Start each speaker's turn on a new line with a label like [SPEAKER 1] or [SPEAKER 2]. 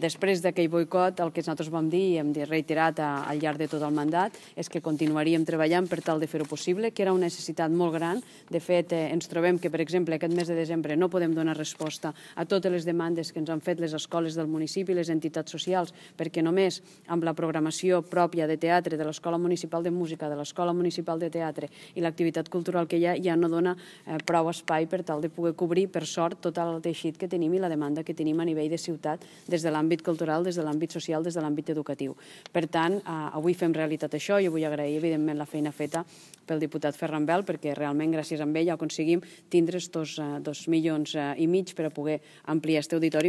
[SPEAKER 1] Després d'aquell boicot, el que nosaltres vam dir i hem reiterat al llarg de tot el mandat és que continuaríem treballant per tal de fer-ho possible, que era una necessitat molt gran. De fet, ens trobem que, per exemple, aquest mes de desembre no podem donar resposta a totes les demandes que ens han fet les escoles del municipi i les entitats socials, perquè només amb la programació pròpia de teatre de l'Escola Municipal de Música, de l'Escola Municipal de Teatre i l'activitat cultural que hi ha ja no dona prou espai per tal de poder cobrir, per sort, tot el teixit que tenim i la demanda que tenim a nivell de ciutat des de l'àmbit cultural, des de l'àmbit social, des de l'àmbit educatiu. Per tant, avui fem realitat això. Jo vull agrair, evidentment, la feina feta pel diputat Ferran Bel, perquè realment gràcies a ell aconseguim tindre estos 2,5 milions per a poder ampliar aquest auditori.